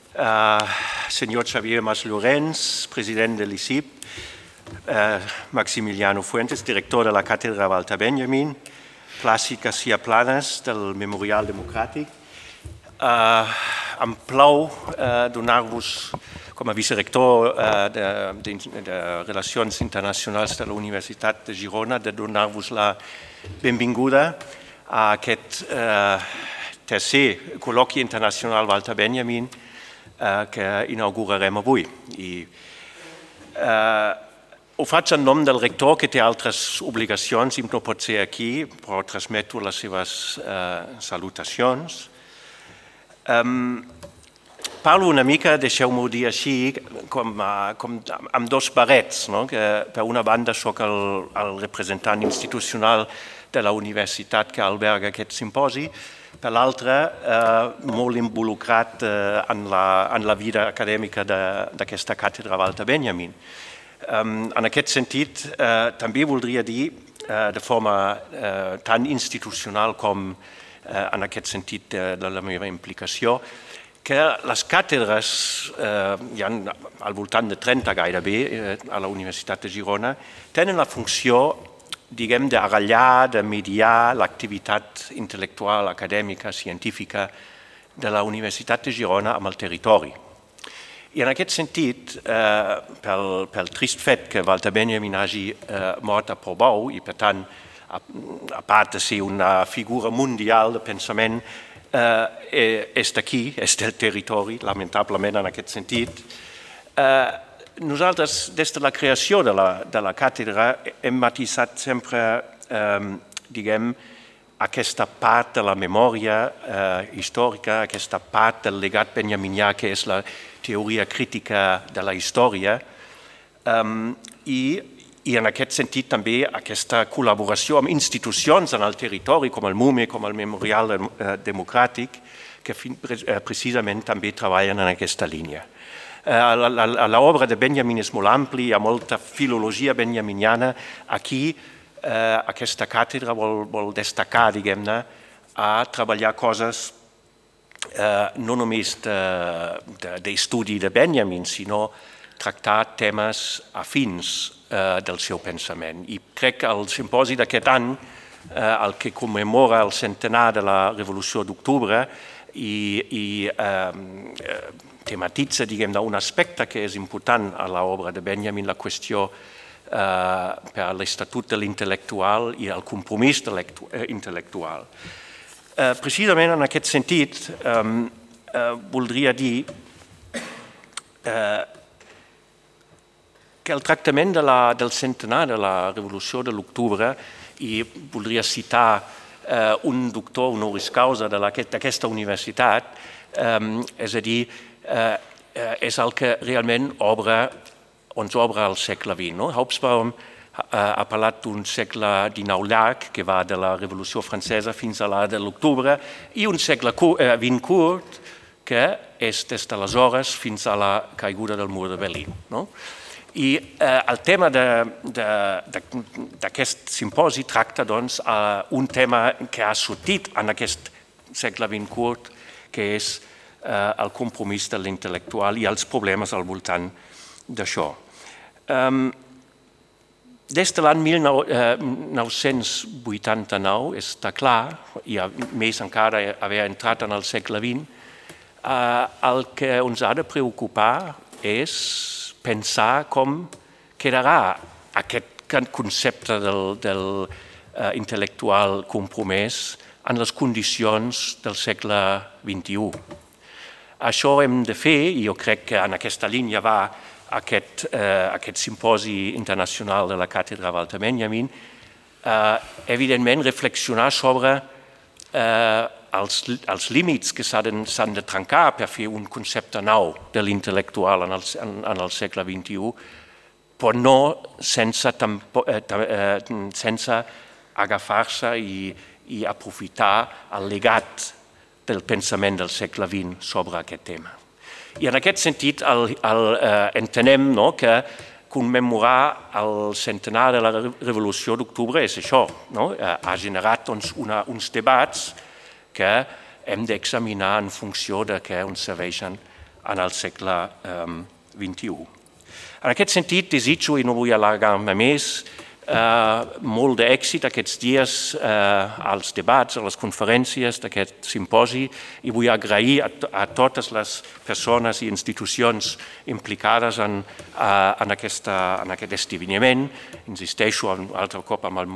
senyor Xavier Mas Llorenç, president de l'ICIP, Maximiliano Fuentes, director de la Càtedra Walter Benjamin, Plàcid García Planas, del Memorial Democràtic. Em plau donar-vos, com a vicerector de Relacions Internacionals de la Universitat de Girona, de donar-vos la benvinguda a aquest tercer col·loqui internacional Walter Benjamin que inaugurarem avui. Ho faig en nom del rector, que té altres obligacions i no pot ser aquí, però transmeto les seves salutacions. Parlo una mica, deixeu-m'ho dir així, com amb dos barrets. Per una banda soc el representant institucional de la universitat que alberga aquest simposi, per l'altra molt involucrat en la vida acadèmica d'aquesta càtedra Walter Benjamin. En aquest sentit, també voldria dir, de forma tan institucional com en aquest sentit de la meva implicació, que les càtedres, hi ha al voltant de 30 gairebé a la Universitat de Girona, tenen la funció, diguem, d'agallar, de mediar l'activitat intel·lectual, acadèmica, científica de la Universitat de Girona amb el territori. I en aquest sentit, pel trist fet que Walter Benjamin hagi mort a Portbou i per tant, a part de ser una figura mundial de pensament, és d'aquí, és del territori, lamentablement en aquest sentit. Nosaltres, des de la creació de la càtedra, hem matisat sempre, diguem, aquesta part de la memòria històrica, aquesta part del legat benjaminià, que és la teoria crítica de la història, i en aquest sentit també aquesta col·laboració amb institucions en el territori, com el MUME, com el Memorial Democràtic, que precisament també treballen en aquesta línia. L'obra de Benjamin és molt àmplia, hi ha molta filologia benjaminiana. Aquí aquesta càtedra vol destacar, diguem-ne, a treballar coses no només d'estudi de Benjamin, sinó tractar temes afins del seu pensament. I crec que el simposi d'aquest any, el que commemora el centenar de la Revolució d'Octubre i tematitza, diguem, un aspecte que és important a l'obra de Benjamin, la qüestió per l'estatut de l'intel·lectual i el compromís intel·lectual. Precisament en aquest sentit, voldria dir que el tractament del centenar de la Revolució de l'Octubre, i voldria citar un doctor honoris causa d'aquesta universitat, és a dir, és el que realment ens obre el segle XX. Hobsbawm ha parlat d'un segle XIX llarg, que va de la Revolució Francesa fins a la de l'Octubre, i un segle XX curt, que és des d'aleshores fins a la caiguda del mur de Berlín. I el tema d'aquest simposi tracta un tema que ha sortit en aquest segle XX curt, que és el compromís de l'intel·lectual i els problemes al voltant d'això. Des de l'any 1989, està clar, i més encara haver entrat en el segle XX, el que ens ha de preocupar és pensar com quedarà aquest concepte del intel·lectual compromès en les condicions del segle XXI. Això hem de fer, i jo crec que en aquesta línia va aquest simposi internacional de la càtedra Walter Benjamin, evidentment reflexionar sobre els límits que s'han de trencar per fer un concepte nou de l'intel·lectual en el segle XXI, però no sense agafar-se i aprofitar el legat del pensament del segle XX sobre aquest tema. I en aquest sentit entenem que commemorar el centenar de la Revolució d'Octubre és això, ha generat uns debats que hem d'examinar en funció de què ens serveixen en el segle XXI. En aquest sentit, desitjo, i no vull allargar-me més, molt d'èxit aquests dies als debats, a les conferències d'aquest simposi, i vull agrair a totes les persones i institucions implicades en aquest esdeveniment. Insisteixo un altre cop amb el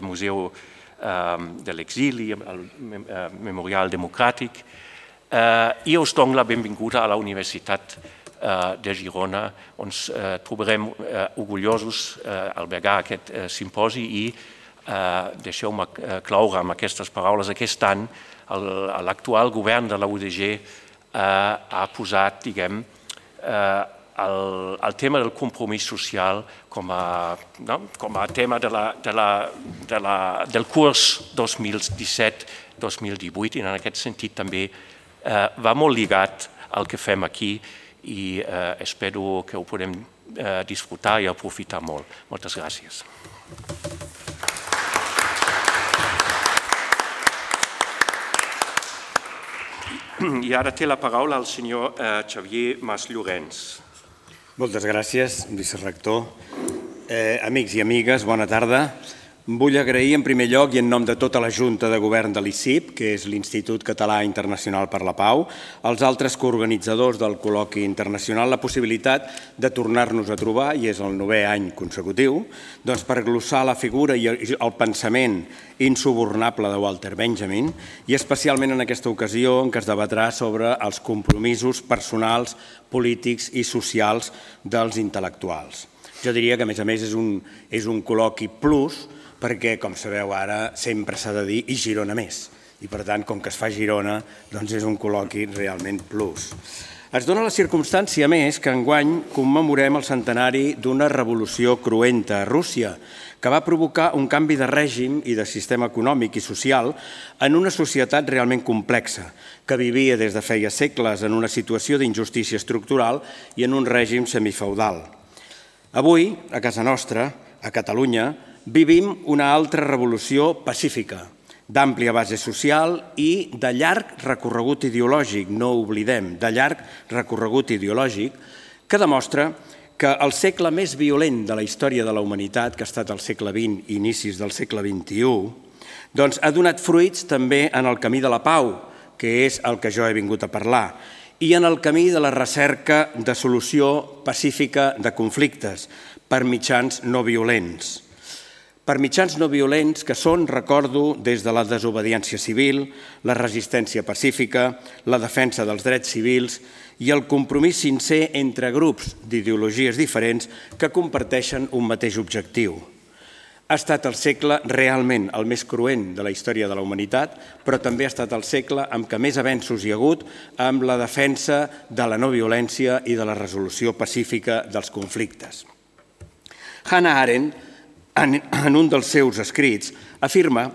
Museu de l'Exili, el Memorial Democràtic, i us dono la benvinguda a la Universitat de Girona. Ens trobarem orgullosos d'albergar aquest simposi i deixeu-me cloure amb aquestes paraules. Aquest any l'actual govern de la UDG ha posat, diguem, el tema del compromís social com a tema del curs 2017-2018, i en aquest sentit també va molt lligat al que fem aquí, i espero que ho podem disfrutar i aprofitar molt. Moltes gràcies. I ara té la paraula el senyor Xavier Mas Llorenç. Moltes gràcies, vicerector. Amics i amigues, bona tarda. Vull agrair en primer lloc i en nom de tota la Junta de Govern de l'ICIP, que és l'Institut Català Internacional per la Pau, als altres coorganitzadors del col·loqui internacional la possibilitat de tornar-nos a trobar, i és el 9è any consecutiu, per glossar la figura i el pensament insubornable de Walter Benjamin, i especialment en aquesta ocasió en què es debatrà sobre els compromisos personals, polítics i socials dels intel·lectuals. Jo diria que, a més, és un col·loqui plus, perquè, com sabeu ara, sempre s'ha de dir i Girona més. I, per tant, com que es fa a Girona, doncs és un col·loqui realment plus. Es dona la circumstància, més, que enguany commemorem el centenari d'una revolució cruenta a Rússia, que va provocar un canvi de règim i de sistema econòmic i social en una societat realment complexa, que vivia des de feia segles en una situació d'injustícia estructural i en un règim semifeudal. Avui, a casa nostra, a Catalunya, vivim una altra revolució pacífica, d'àmplia base social i de llarg recorregut ideològic, no ho oblidem, de llarg recorregut ideològic, que demostra que el segle més violent de la història de la humanitat, que ha estat el segle XX i inicis del segle XXI, doncs ha donat fruits també en el camí de la pau, que és el que jo he vingut a parlar, i en el camí de la recerca de solució pacífica de conflictes per mitjans no violents. Per mitjans no violents que són, recordo, des de la desobediència civil, la resistència pacífica, la defensa dels drets civils i el compromís sincer entre grups d'ideologies diferents que comparteixen un mateix objectiu. Ha estat el segle realment el més cruent de la història de la humanitat, però també ha estat el segle amb què més avenços hi ha hagut amb la defensa de la no violència i de la resolució pacífica dels conflictes. Hannah Arendt, en un dels seus escrits, afirma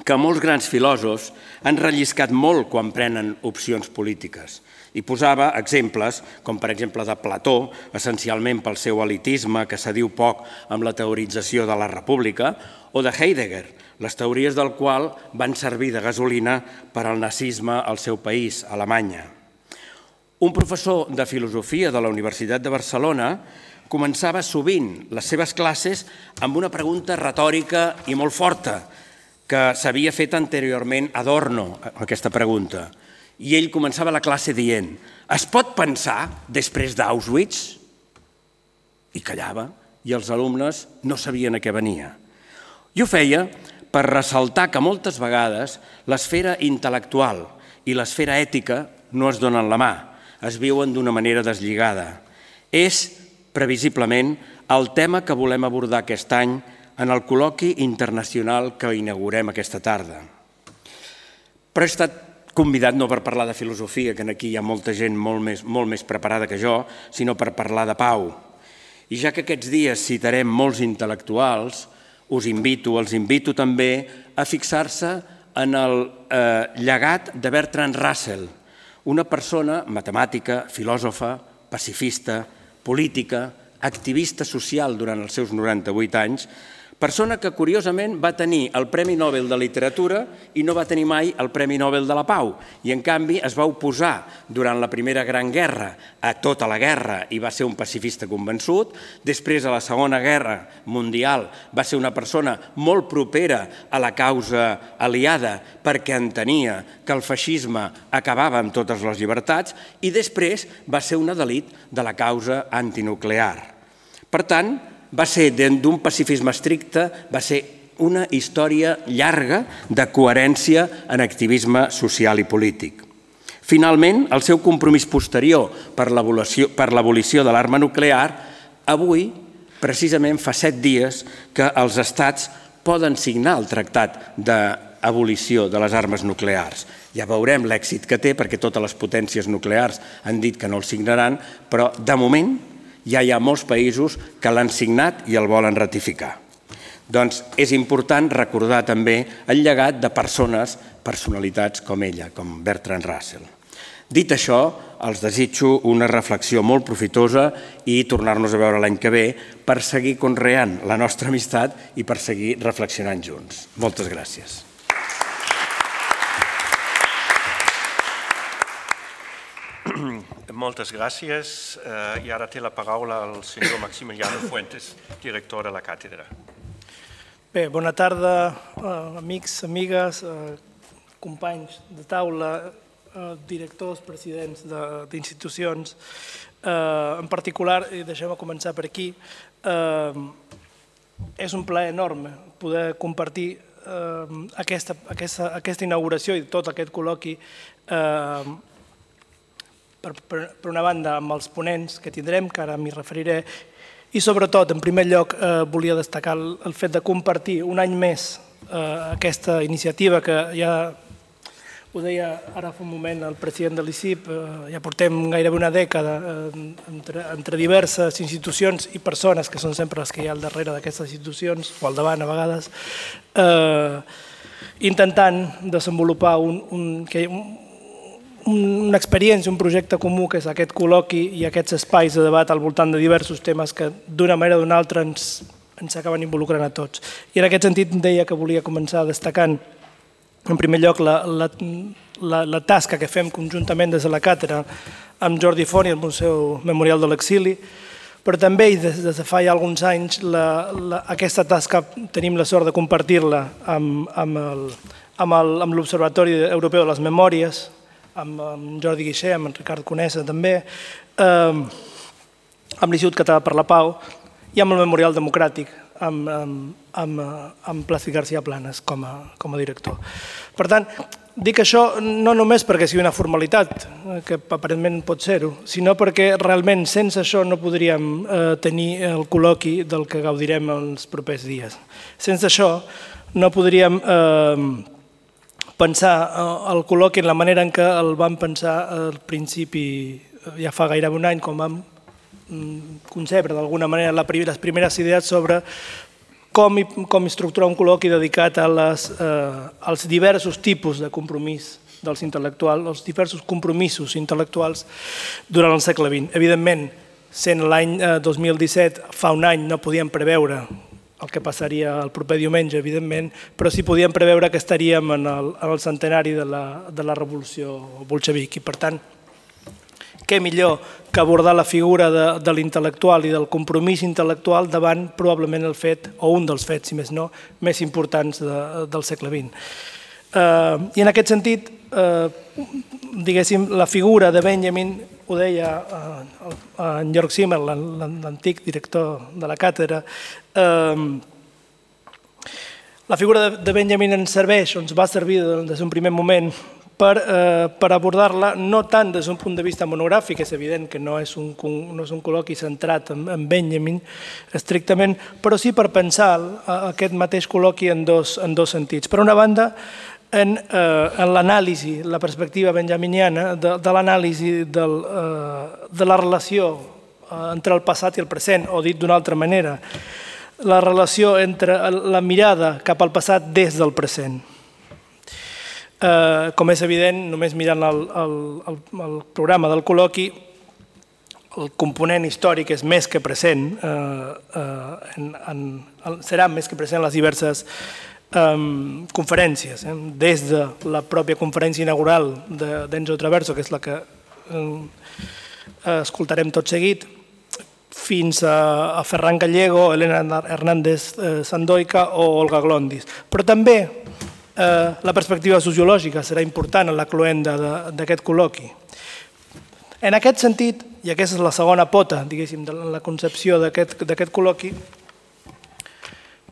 que molts grans filòsofs han relliscat molt quan prenen opcions polítiques i posava exemples, com per exemple de Plató, essencialment pel seu elitisme que s'adiu poc amb la teorització de la república, o de Heidegger, les teories del qual van servir de gasolina per al nazisme al seu país, Alemanya. Un professor de filosofia de la Universitat de Barcelona començava sovint les seves classes amb una pregunta retòrica i molt forta, que s'havia fet anteriorment Adorno, aquesta pregunta. I ell començava la classe dient: es pot pensar després d'Auschwitz? I callava, i els alumnes no sabien a què venia. I ho feia per ressaltar que moltes vegades l'esfera intel·lectual i l'esfera ètica no es donen la mà, es viuen d'una manera deslligada. És previsiblement el tema que volem abordar aquest any en el col·loqui internacional que inaugurem aquesta tarda. Però he estat convidat no per parlar de filosofia, que aquí hi ha molta gent molt més preparada que jo, sinó per parlar de pau. I ja que aquests dies citarem molts intel·lectuals, els invito també a fixar-se en el llegat de Bertrand Russell, una persona matemàtica, filòsofa, pacifista, política, activista social durant els seus 98 anys, Persona que, curiosament, va tenir el Premi Nobel de Literatura i no va tenir mai el Premi Nobel de la Pau. I, en canvi, es va oposar durant la Primera Gran Guerra a tota la guerra i va ser un pacifista convençut. Després, a la Segona Guerra Mundial, va ser una persona molt propera a la causa aliada perquè entenia que el feixisme acabava amb totes les llibertats i després va ser un adelit de la causa antinuclear. Per tant, va ser d'un pacifisme estricte, va ser una història llarga de coherència en activisme social i polític. Finalment, el seu compromís posterior per l'abolició de l'arma nuclear, avui, precisament fa 7 dies que els estats poden signar el tractat d'abolició de les armes nuclears. Ja veurem l'èxit que té, perquè totes les potències nuclears han dit que no el signaran, però de moment ja hi ha molts països que l'han signat i el volen ratificar. Doncs és important recordar també el llegat de personalitats com ella, com Bertrand Russell. Dit això, els desitjo una reflexió molt profitosa i tornar-nos a veure l'any que ve per seguir conreant la nostra amistat i per seguir reflexionant junts. Moltes gràcies. Moltes gràcies. I ara té la paraula el senyor Maximiliano Fuentes, director de la càtedra. Bé, bona tarda, amics, amigues, companys de taula, directors, presidents d'institucions. En particular, i deixem començar per aquí, és un plaer enorme poder compartir aquesta inauguració i tot aquest col·loqui per una banda amb els ponents que tindrem, que ara m'hi referiré, i sobretot, en primer lloc, volia destacar el fet de compartir un any més aquesta iniciativa que ja ho deia ara fa un moment el president de l'ICIP, ja portem gairebé una dècada entre diverses institucions i persones que són sempre les que hi ha al darrere d'aquestes institucions, o al davant a vegades, intentant desenvolupar una experiència, un projecte comú que és aquest col·loqui i aquests espais de debat al voltant de diversos temes que d'una manera o d'una altra ens acaben involucrant a tots. I en aquest sentit deia que volia començar destacant en primer lloc la tasca que fem conjuntament des de la càtedra amb Jordi Font i el Museu Memorial de l'Exili, però també des de fa ja alguns anys aquesta tasca tenim la sort de compartir-la amb l'Observatori Europeu de les Memòries, amb Jordi Guixer, amb en Ricard Conesa també, amb l'Institut Català per la Pau i amb el Memorial Democràtic, amb Plàcid García Planas com a director. Per tant, dic això no només perquè sigui una formalitat, que aparentment pot ser-ho, sinó perquè realment sense això no podríem tenir el col·loqui del que gaudirem els propers dies. Sense això no podríem pensar el col·loqui en la manera en què el vam pensar al principi, ja fa gairebé un any, quan vam concebre d'alguna manera les primeres idees sobre com estructurar un col·loqui dedicat als diversos tipus de compromís dels intel·lectuals, els diversos compromisos intel·lectuals durant el segle XX. Evidentment, sent l'any 2017, fa un any no podíem preveure el que passaria el proper diumenge, evidentment, però sí podíem preveure que estaríem en el centenari de la revolució bolxevic. I, per tant, què millor que abordar la figura de l'intel·lectual i del compromís intel·lectual davant probablement el fet, o un dels fets, si més no, més importants del segle XX. I en aquest sentit, diguéssim, la figura de Benjamin, ho deia en Jörg Simmel, l'antic director de la càtedra, la figura de Benjamin ens serveix, o ens va servir des d'un primer moment per abordar-la no tant des d'un punt de vista monogràfic, és evident que no és un col·loqui centrat en Benjamin estrictament, però sí per pensar aquest mateix col·loqui en dos sentits. Per una banda, en l'anàlisi, la perspectiva benjaminiana, de l'anàlisi de la relació entre el passat i el present, o dit d'una altra manera, la relació entre la mirada cap al passat des del present. Com és evident, només mirant el programa del col·loqui, el component històric és més que present, serà més que present en les diverses conferències, des de la pròpia conferència inaugural d'Enzo Traverso, que és la que escoltarem tot seguit, fins a Ferran Gallego, Elena Hernández Sandoika o Olga Glondis. Però també la perspectiva sociològica serà important en la cloenda d'aquest col·loqui. En aquest sentit, i aquesta és la segona pota, diguéssim, de la concepció d'aquest col·loqui,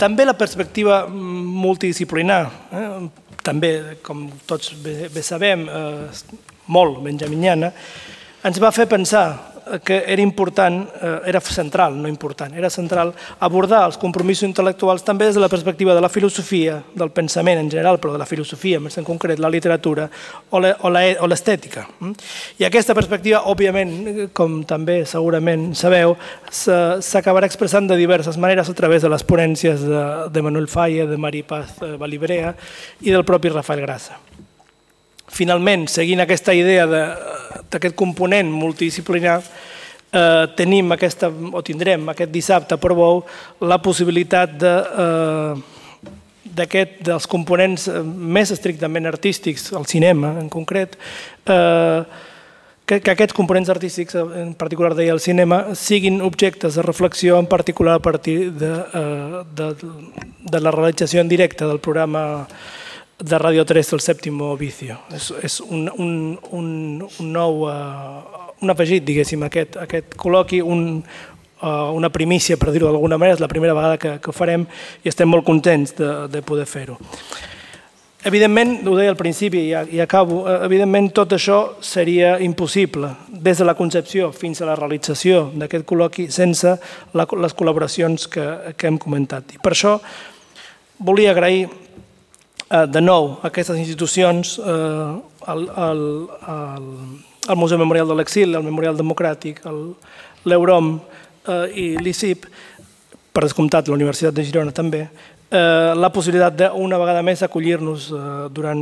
també la perspectiva multidisciplinar, també, com tots bé sabem, molt benjaminiana, ens va fer pensar que era important, era central, no important, era central abordar els compromisos intel·lectuals també des de la perspectiva de la filosofia, del pensament en general, però de la filosofia, més en concret la literatura o l'estètica. I aquesta perspectiva, òbviament, com també segurament sabeu, s'acabarà expressant de diverses maneres a través de les ponències de Manuel Falla, de Mari Paz Balibrea i del propi Rafael Grassa. Finalment, seguint aquesta idea d'aquest component multidisciplinar, tindrem aquest dissabte a Portbou la possibilitat dels components més estrictament artístics, el cinema en concret, que aquests components artístics, en particular deia el cinema, siguin objectes de reflexió, en particular a partir de la realització en directe del programa de Radio 3 del Sèptimo Vicio. És un afegit, diguéssim, a aquest col·loqui, una primícia, per dir-ho d'alguna manera, és la primera vegada que ho farem i estem molt contents de poder fer-ho. Evidentment, ho deia al principi i acabo, evidentment tot això seria impossible des de la concepció fins a la realització d'aquest col·loqui sense les col·laboracions que hem comentat. I per això volia agrair de nou aquestes institucions, el Museu Memorial de l'Exili, el Memorial Democràtic, l'Eurom i l'ICIP, per descomptat la Universitat de Girona també, la possibilitat d'una vegada més acollir-nos durant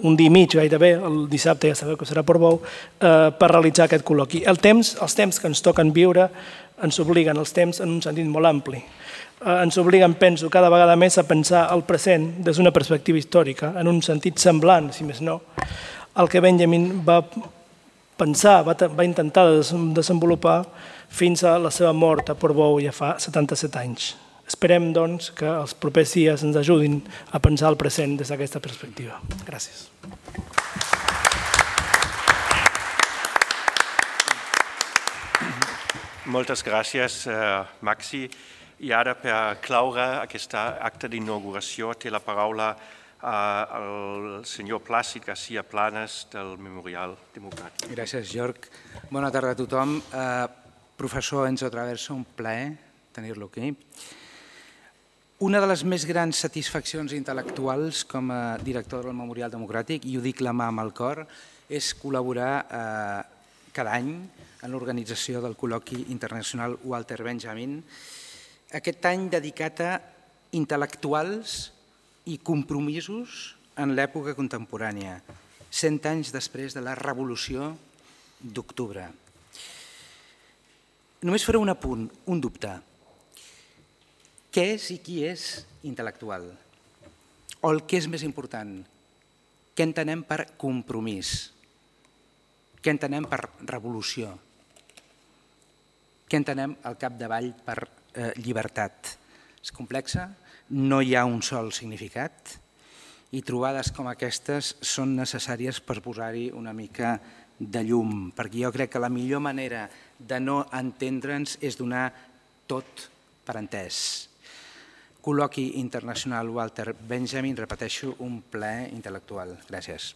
un dia i mig gairebé, el dissabte ja sabeu que serà a Portbou, per realitzar aquest col·loqui. Els temps que ens toquen viure ens obliguen, els temps en un sentit molt ampli. Ens obliguen, penso, cada vegada més a pensar el present des d'una perspectiva històrica, en un sentit semblant, si més no, el que Benjamin va pensar, va intentar desenvolupar fins a la seva mort a Portbou ja fa 77 anys. Esperem, doncs, que els propers dies ens ajudin a pensar el present des d'aquesta perspectiva. Gràcies. Moltes gràcies, Maxi. I ara, per claure aquest acte d'inauguració, té la paraula el senyor Plàcid García Planas del Memorial Democràtic. Gràcies, Jorg. Bona tarda a tothom. Professor Enzo Traverso, un plaer tenir-lo aquí. Una de les més grans satisfaccions intel·lectuals com a director del Memorial Democràtic, i ho dic la mà amb el cor, és col·laborar cada any en l'organització del col·loqui internacional Walter Benjamin, aquest any dedicat a intel·lectuals i compromisos en l'època contemporània, 100 anys després de la Revolució d'Octubre. Només faré un apunt, un dubte. Què és i qui és intel·lectual? O el que és més important, què entenem per compromís? Què entenem per revolució? Què entenem al capdavall per llibertat? És complexa, no hi ha un sol significat i trobades com aquestes són necessàries per posar-hi una mica de llum, perquè jo crec que la millor manera de no entendre'ns és donar tot per entès. Col·loqui internacional Walter Benjamin, repeteixo, un plaer intel·lectual. Gràcies.